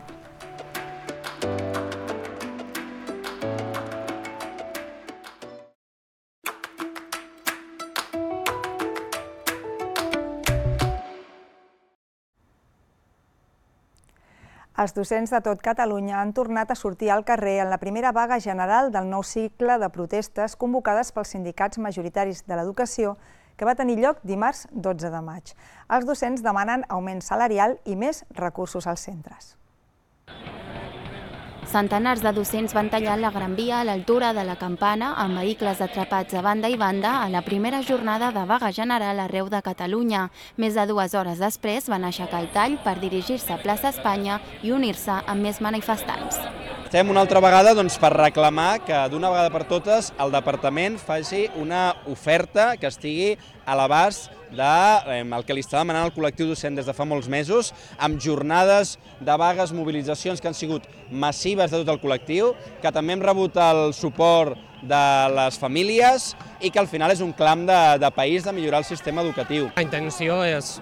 Els docents de tot Catalunya han tornat a sortir al carrer en la primera vaga general del nou cicle de protestes convocades pels sindicats majoritaris de l'educació que va tenir lloc dimarts 12 de maig. Els docents demanen augment salarial i més recursos als centres. Centenars de docents van tallar la Gran Via a l'altura de la Campana amb vehicles atrapats a banda i banda a la primera jornada de vaga general arreu de Catalunya. Més de 2 hores després van aixecar el tall per dirigir-se a Plaça Espanya i unir-se amb més manifestants. Estem una altra vegada per reclamar que d'una vegada per totes el departament faci una oferta que estigui a l'abast del que li està demanant el col·lectiu docent des de fa molts mesos, amb jornades de vagues, mobilitzacions que han sigut massives de tot el col·lectiu, que també hem rebut el suport de les famílies i que al final és un clam de país de millorar el sistema educatiu. La intenció és,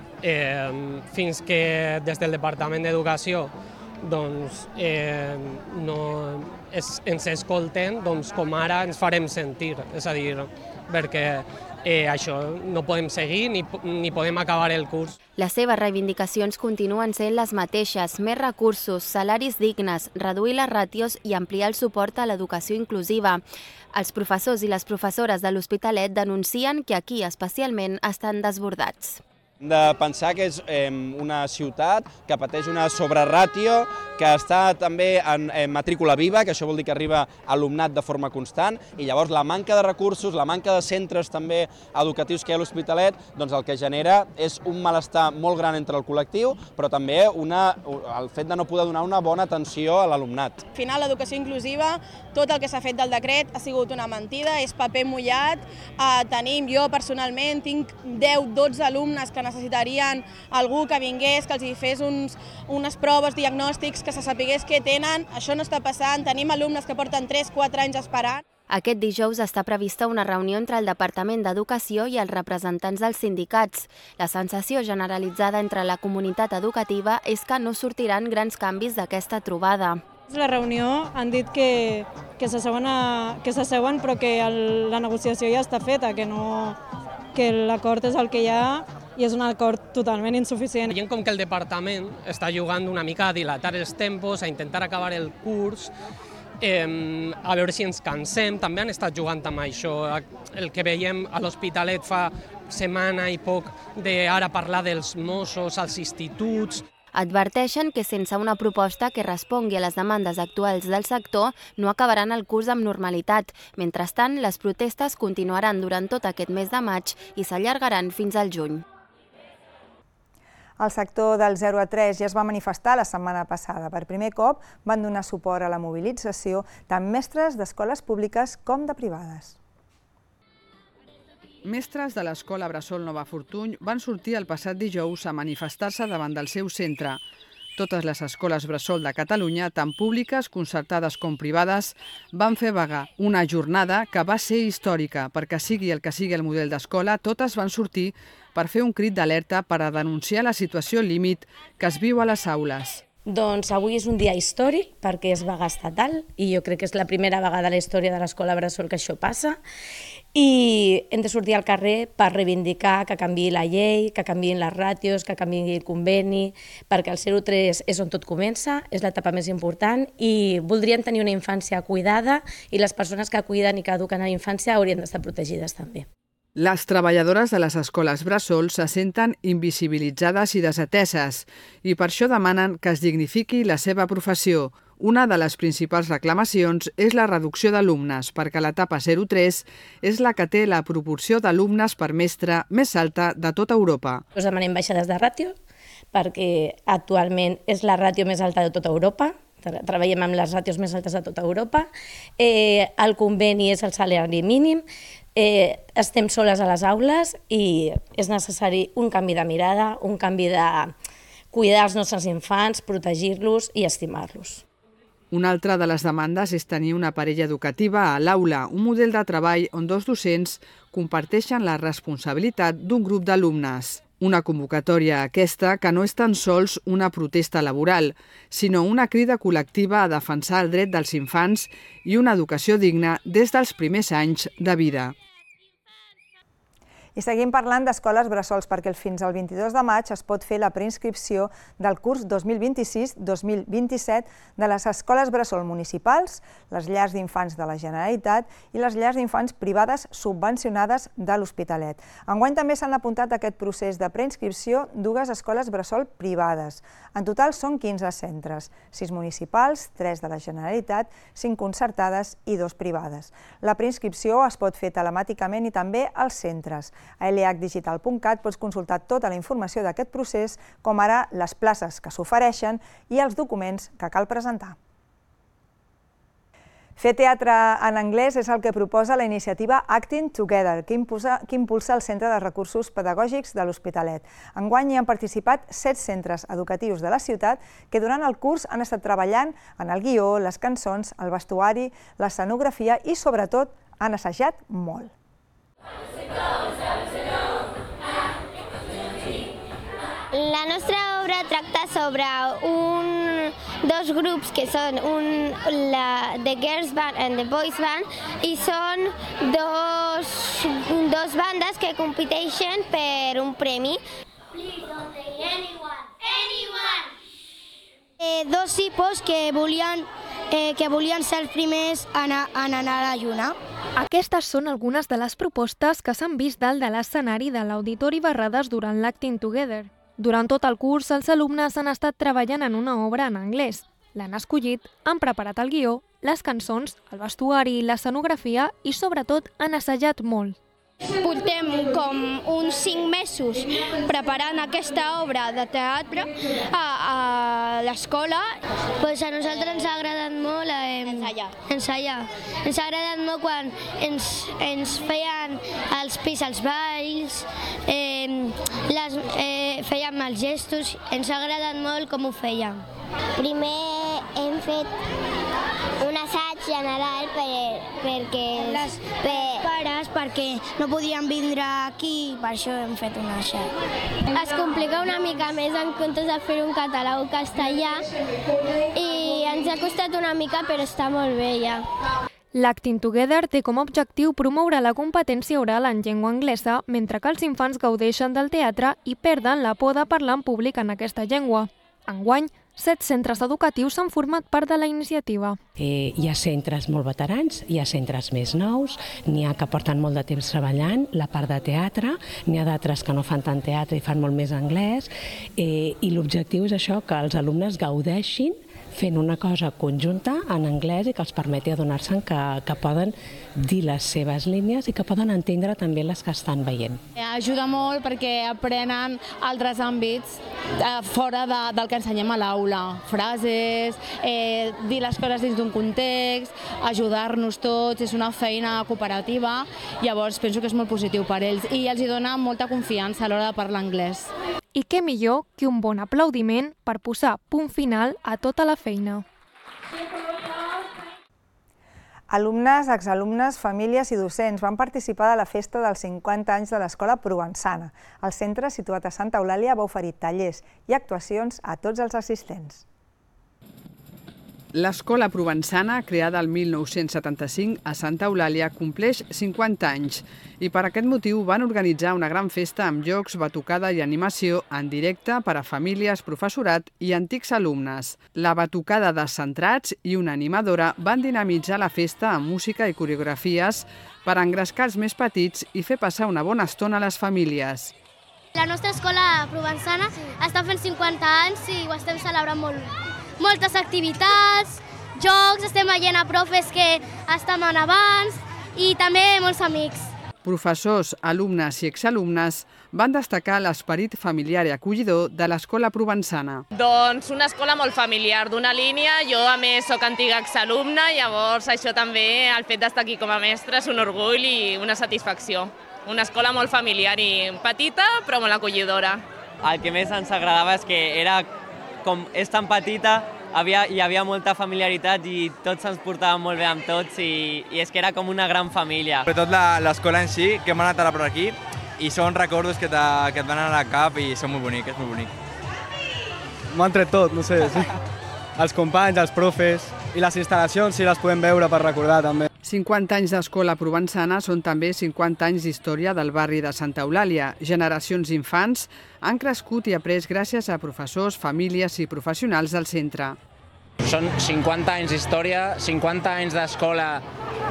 fins que des del Departament d'Educació ens escolten, com ara ens farem sentir, és a dir, perquè això no podem seguir ni podem acabar el curs. Les seves reivindicacions continuen sent les mateixes: més recursos, salaris dignes, reduir les ràtios i ampliar el suport a l'educació inclusiva. Els professors i les professores de l'Hospitalet denuncien que aquí especialment estan desbordats. Hem de pensar que és una ciutat que pateix una sobreràtio, que està també en matrícula viva, que això vol dir que arriba alumnat de forma constant, i llavors la manca de recursos, la manca de centres també educatius que hi ha a l'Hospitalet, doncs el que genera és un malestar molt gran entre el col·lectiu, però també el fet de no poder donar una bona atenció a l'alumnat. Al final, l'educació inclusiva, tot el que s'ha fet del decret ha sigut una mentida, és paper mullat. Jo personalment tinc 10-12 alumnes que necessitarien algú que vingués, que els hi fes unes proves, diagnòstics, que se sapigués què tenen. Això no està passant. Tenim alumnes que porten 3-4 anys esperant. Aquest dijous està prevista una reunió entre el Departament d'Educació i els representants dels sindicats. La sensació generalitzada entre la comunitat educativa és que no sortiran grans canvis d'aquesta trobada. La reunió han dit que s'asseuen però que la negociació ja està feta, que l'acord és el que hi ha i és un acord totalment insuficient. Veiem com que el departament està jugant una mica a dilatar els tempos, a intentar acabar el curs, a veure si ens cansem, també han estat jugant amb això. El que veiem a l'Hospitalet fa setmana i poc d'ara parlar dels Mossos, als instituts. Adverteixen que sense una proposta que respongui a les demandes actuals del sector no acabaran el curs amb normalitat. Mentrestant, les protestes continuaran durant tot aquest mes de maig i s'allargaran fins al juny. El sector del 0 a 3 ja es va manifestar la setmana passada. Per primer cop van donar suport a la mobilització tant mestres d'escoles públiques com de privades. Mestres de l'Escola Bressol Nova Fortuny van sortir el passat dijous a manifestar-se davant del seu centre. Totes les escoles bressol de Catalunya, tant públiques, concertades com privades, van fer vaga. Una jornada que va ser històrica, perquè sigui el que sigui el model d'escola, totes van sortir per fer un crit d'alerta per a denunciar la situació límit que es viu a les aules. Doncs avui és un dia històric perquè és vaga estatal i jo crec que és la primera vegada a la història de l'Escola Bressol que això passa i hem de sortir al carrer per reivindicar que canviï la llei, que canviïn les ràtios, que canviï el conveni, perquè el 0-3 és on tot comença, és l'etapa més important i voldrien tenir una infància cuidada i les persones que cuiden i que eduquen a la infància haurien d'estar protegides també. Les treballadores de les escoles bressol se senten invisibilitzades i desateses i per això demanen que es dignifiqui la seva professió. Una de les principals reclamacions és la reducció d'alumnes, perquè l'etapa 0-3 és la que té la proporció d'alumnes per mestre més alta de tota Europa. Us demanem baixades de ràtio, perquè actualment és la ràtio més alta de tota Europa. Treballem amb les ràtios més altes de tota Europa. El conveni és el salari mínim. Estem soles a les aules i és necessari un canvi de mirada, un canvi de cuidar els nostres infants, protegir-los i estimar-los. Una altra de les demandes és tenir una parella educativa a l'aula, un model de treball on dos docents comparteixen la responsabilitat d'un grup d'alumnes. Una convocatòria aquesta que no és tan sols una protesta laboral, sinó una crida col·lectiva a defensar el dret dels infants i una educació digna des dels primers anys de vida. I seguim parlant d'escoles bressols perquè fins al 22 de maig es pot fer la preinscripció del curs 2026-2027 de les escoles bressol municipals, les llars d'infants de la Generalitat i les llars d'infants privades subvencionades de l'Hospitalet. Enguany també s'han apuntat a aquest procés de preinscripció dues escoles bressol privades. En total són 15 centres, 6 municipals, 3 de la Generalitat, 5 concertades i 2 privades. La preinscripció es pot fer telemàticament i també als centres. A lhdigital.cat pots consultar tota la informació d'aquest procés, com ara les places que s'ofereixen i els documents que cal presentar. Fer teatre en anglès és el que proposa la iniciativa Acting Together, que impulsa el Centre de Recursos Pedagògics de l'Hospitalet. Enguany hi han participat 7 centres educatius de la ciutat que durant el curs han estat treballant en el guió, les cançons, el vestuari, l'escenografia i, sobretot, han assajat molt. La nostra obra tracta sobre dos grups que són The Girls Band and the Boys Band i són dos bandes que competeixen per un premi. Dos tipus que volien ser els primers en anar a la lluna. Aquestes són algunes de les propostes que s'han vist dalt de l'escenari de l'Auditori Barrades durant l'Acting Together. Durant tot el curs, els alumnes han estat treballant en una obra en anglès. L'han escollit, han preparat el guió, les cançons, el vestuari, l'escenografia i, sobretot, han assajat molt. Portem com uns 5 mesos preparant aquesta obra de teatre a l'escola. A nosaltres ens ha agradat molt ensaiar. Ens ha agradat molt quan ens feien els pis als balls, fèiem els gestos, ens ha agradat molt com ho fèiem. Primer hem fet un assaig general perquè els pares no podien vindre aquí, per això hem fet un assaig. Es complica una mica més en comptes de fer un català o castellà i ens ha costat una mica però està molt bé ja. L'Acting Together té com a objectiu promoure la competència oral en llengua anglesa mentre que els infants gaudeixen del teatre i perden la por de parlar en públic en aquesta llengua. Enguany, 7 centres educatius s'han format part de la iniciativa. Hi ha centres molt veterans, hi ha centres més nous, n'hi ha que porten molt de temps treballant la part de teatre, n'hi ha d'altres que no fan tant teatre i fan molt més anglès, i l'objectiu és això, que els alumnes gaudeixin fent una cosa conjunta en anglès i que els permeti adonar-se'n que poden dir les seves línies i que poden entendre també les que estan veient. Ajuda molt perquè aprenen altres àmbits fora del que ensenyem a l'aula. Frases, dir les coses dins d'un context, ajudar-nos tots, és una feina cooperativa, llavors penso que és molt positiu per ells i els dona molta confiança a l'hora de parlar anglès. I què millor que un bon aplaudiment per posar punt final a tota la feina. Alumnes, exalumnes, famílies i docents van participar de la festa dels 50 anys de l'Escola Provençana. El centre, situat a Santa Eulàlia, va oferir tallers i actuacions a tots els assistents. L'Escola Provençana, creada el 1975 a Santa Eulàlia, compleix 50 anys i per aquest motiu van organitzar una gran festa amb jocs, batucada i animació en directe per a famílies, professorat i antics alumnes. La batucada de centrats i una animadora van dinamitzar la festa amb música i coreografies per engrescar els més petits i fer passar una bona estona a les famílies. La nostra escola provençana està fent 50 anys i ho estem celebrant molt. Moltes activitats, jocs, estem veient a profes que estaven abans i també molts amics. Professors, alumnes i exalumnes van destacar l'esperit familiar i acollidor de l'Escola Provençana. Doncs una escola molt familiar, d'una línia. Jo, a més, soc antiga exalumna, llavors això també, el fet d'estar aquí com a mestre, és un orgull i una satisfacció. Una escola molt familiar i petita, però molt acollidora. El que més ens agradava és que era com és tan petita, hi havia molta familiaritat i tots ens portàvem molt bé amb tots i és que era com una gran família. Sobretot l'escola en si, que hem anat ara per aquí i són records que et van anar al cap i són molt bonics, és molt bonic. M'ho han tret tot, no sé, sí. Els companys, els profes i les instal·lacions, si les podem veure per recordar també. 50 anys d'Escola Provençana són també 50 anys d'història del barri de Santa Eulàlia. Generacions d'infants han crescut i après gràcies a professors, famílies i professionals del centre. Són 50 anys d'història, 50 anys d'escola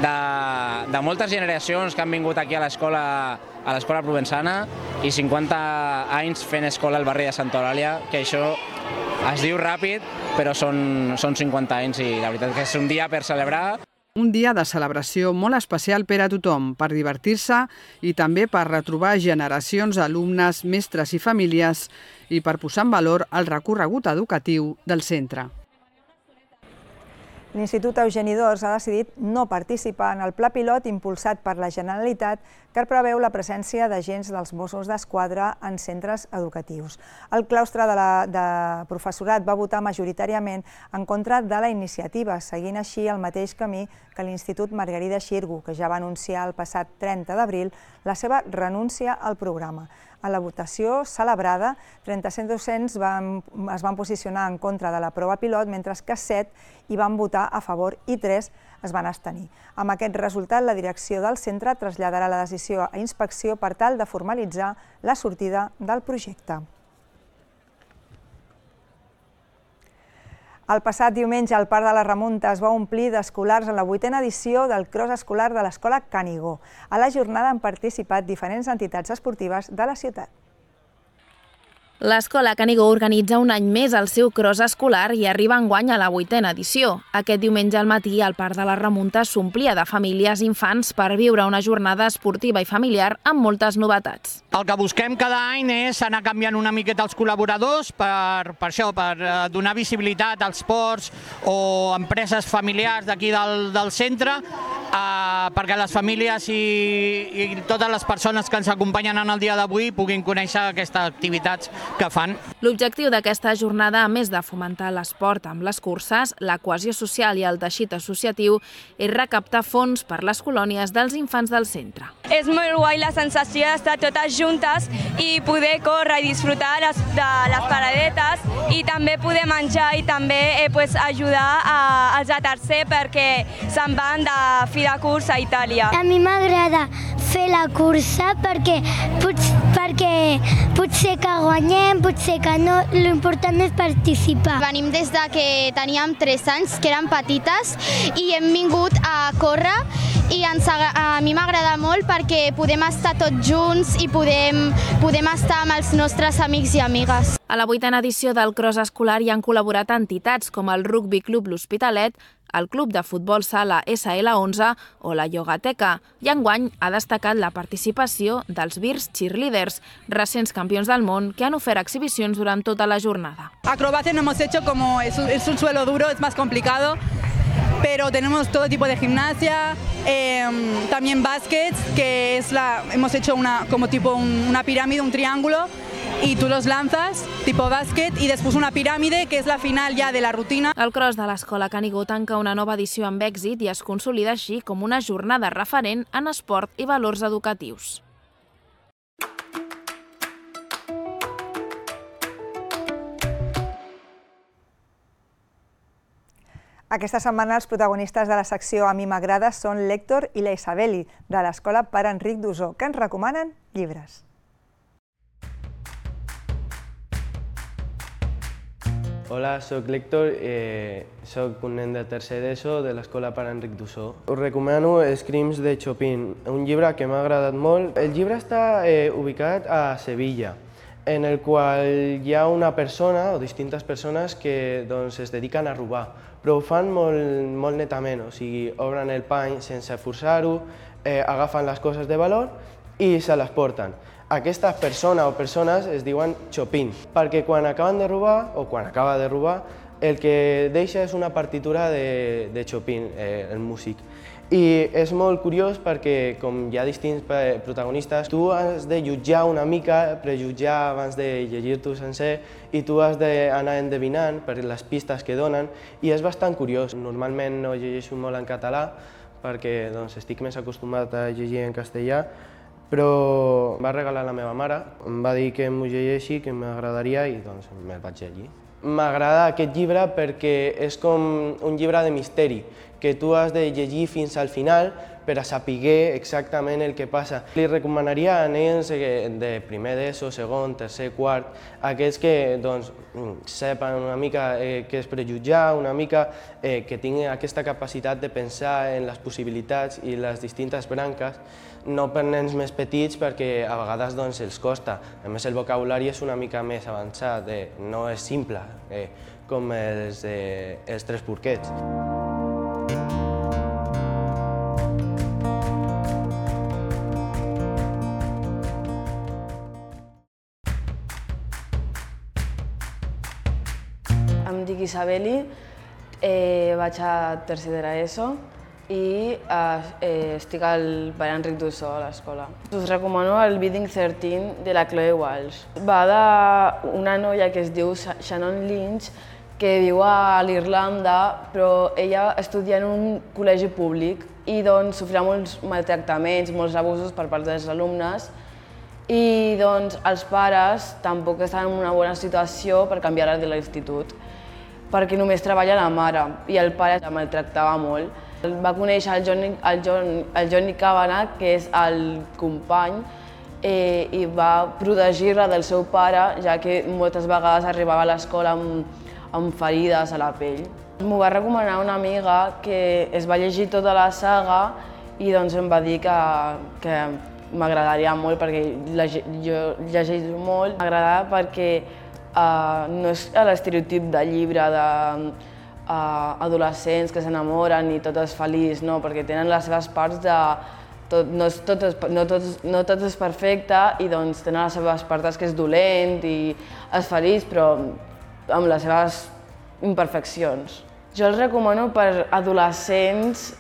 de moltes generacions que han vingut aquí a l'Escola Provençana i 50 anys fent escola al barri de Santa Eulàlia, que això es diu ràpid, però són 50 anys i la veritat que és un dia per celebrar. Un dia de celebració molt especial per a tothom, per divertir-se i també per retrobar generacions d'alumnes, mestres i famílies i per posar en valor el recorregut educatiu del centre. L'Institut Eugeni d'Ors ha decidit no participar en el pla pilot impulsat per la Generalitat que preveu la presència d'agents dels Mossos d'Esquadra en centres educatius. El claustre de professorat va votar majoritàriament en contra de la iniciativa, seguint així el mateix camí que l'Institut Margarida Xirgu, que ja va anunciar el passat 30 d'abril la seva renúncia al programa. A la votació celebrada, 37 docents es van posicionar en contra de la prova pilot, mentre que 7 hi van votar a favor i 3 es van abstenir. Amb aquest resultat, la direcció del centre traslladarà la decisió a inspecció per tal de formalitzar la sortida del projecte. El passat diumenge, el Parc de la Remunta es va omplir d'escolars en la 8a edició del Cross Escolar de l'Escola Canigó. A la jornada han participat diferents entitats esportives de la ciutat. L'Escola Canigó organitza un any més el seu cross escolar i arriba enguany a la 8a edició. Aquest diumenge al matí el Parc de la Remunta s'omplia de famílies i infants per viure una jornada esportiva i familiar amb moltes novetats. El que busquem cada any és anar canviant una miqueta els col·laboradors per donar visibilitat als ports o empreses familiars d'aquí del centre, perquè les famílies i totes les persones que ens acompanyen en el dia d'avui puguin conèixer aquestes activitats que fan. L'objectiu d'aquesta jornada, a més de fomentar l'esport amb les curses, la cohesió social i el teixit associatiu, és recaptar fons per les colònies dels infants del centre. És molt guai la sensació d'estar totes juntes i poder córrer i disfrutar de les paradetes i també poder menjar i també ajudar als de tercer perquè se'n van de fi de curs a Itàlia. A mi m'agrada fer la cursa perquè potser que guanyem, potser que no, l'important és participar. Venim des de que teníem 3 anys, que érem petites, i hem vingut a córrer i a mi m'agrada molt perquè podem estar tots junts i podem estar amb els nostres amics i amigues. A la 8a edició del Cross Escolar hi han col·laborat entitats com el Rugby Club L'Hospitalet, el Club de Futbol Sala SL11 o la Yogateca, i enguany ha destacat la participació dels Virs Cheerleaders, recents campions del món que han ofert exhibicions durant tota la jornada. Acrobacia no hemos hecho, como es un suelo duro, es más complicado, pero tenemos todo tipo de gimnasia, también baskets, que es hemos hecho como tipo una pirámide, un triángulo, y tú los lanzas, tipo bàsquet, i després una piràmide, que és la final ja de la rutina. El cross de l'Escola Canigó tanca una nova edició amb èxit i es consolida així com una jornada referent en esport i valors educatius. Aquesta setmana els protagonistes de la secció A mi m'agrada són l'Héctor i la Isabeli, de l'Escola Pare Enric d'Ossó, que ens recomanen llibres. Hola, soc l'Héctor, soc un nen de tercer d'ESO de l'Escola Pare Enric d'Ossó. Us recomano Screams de Chopin, un llibre que m'ha agradat molt. El llibre està ubicat a Sevilla, en el qual hi ha una persona o distintes persones que es dediquen a robar, però ho fan molt netament, o sigui, obren el pany sense forçar-ho, agafen les coses de valor i se les porten. Aquesta persona o persones es diuen Chopin, perquè quan acaben de robar, o quan acaba de robar, el que deixa és una partitura de Chopin, el músic. I és molt curiós perquè, com hi ha distints protagonistes, tu has de jutjar una mica, prejutjar abans de llegir-t'ho sencer, i tu has d'anar endevinant per les pistes que donen, i és bastant curiós. Normalment no llegeixo molt en català, perquè estic més acostumat a llegir en castellà, però em va regalar la meva mare, em va dir que m'ho llegeixi, que m'agradaria, i me'l vaig llegir. M'agrada aquest llibre perquè és com un llibre de misteri, que tu has de llegir fins al final per a saber exactament el que passa. Li recomanaria a nens de primer d'ESO, segon, tercer, quart, aquests que sepan una mica què és prejutjar, una mica que tinguin aquesta capacitat de pensar en les possibilitats i les distintes branques, no per nens més petits perquè a vegades els costa. A més, el vocabulari és una mica més avançat, no és simple com els Tres porquets. Em dic Isabeli, vaig a tercer de l'ESO i estic al Pare Enric d'Ossó, a l'escola. Us recomano el Bidding 13 de la Chloe Walsh. Va d'una noia que es diu Shannon Lynch, que viu a l'Irlanda, però ella estudia en un col·legi públic i sofrirà molts maltractaments, molts abusos per part dels alumnes, i els pares tampoc estan en una bona situació per canviar-la de l'institut, perquè només treballa la mare i el pare la maltractava molt. Va conèixer el Johnny Kavanagh, que és el company, i va protegir-la del seu pare, ja que moltes vegades arribava a l'escola amb ferides a la pell. M'ho va recomanar una amiga que es va llegir tota la saga i em va dir que m'agradaria molt perquè jo llegeixo molt. M'agrada perquè no és l'estereotip de llibre d'adolescents que s'enamoren i tot és feliç, no, perquè tenen les seves parts de... No tot és perfecte i tenen les seves parts que és dolent i és feliç, però amb les seves imperfeccions. Jo el recomano per adolescents,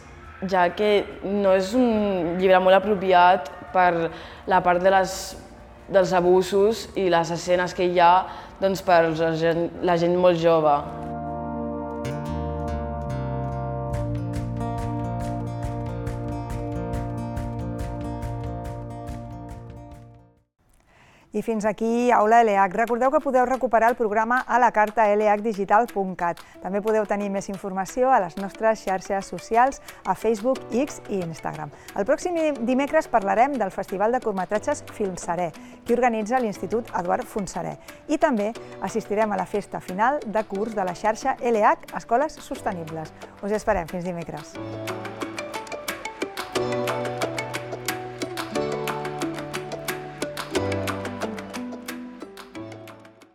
ja que no és un llibre molt apropiat per la part dels abusos i les escenes que hi ha per la gent molt jove. I fins aquí Aula ELEAC. Recordeu que podeu recuperar el programa a la carta eleacdigital.cat. També podeu tenir més informació a les nostres xarxes socials, a Facebook, X i Instagram. El pròxim dimecres parlarem del Festival de Curtmetratges Filmseré, que organitza l'Institut Eduard Fontserè. I també assistirem a la festa final de curs de la xarxa ELEAC Escoles Sostenibles. Us esperem fins dimecres.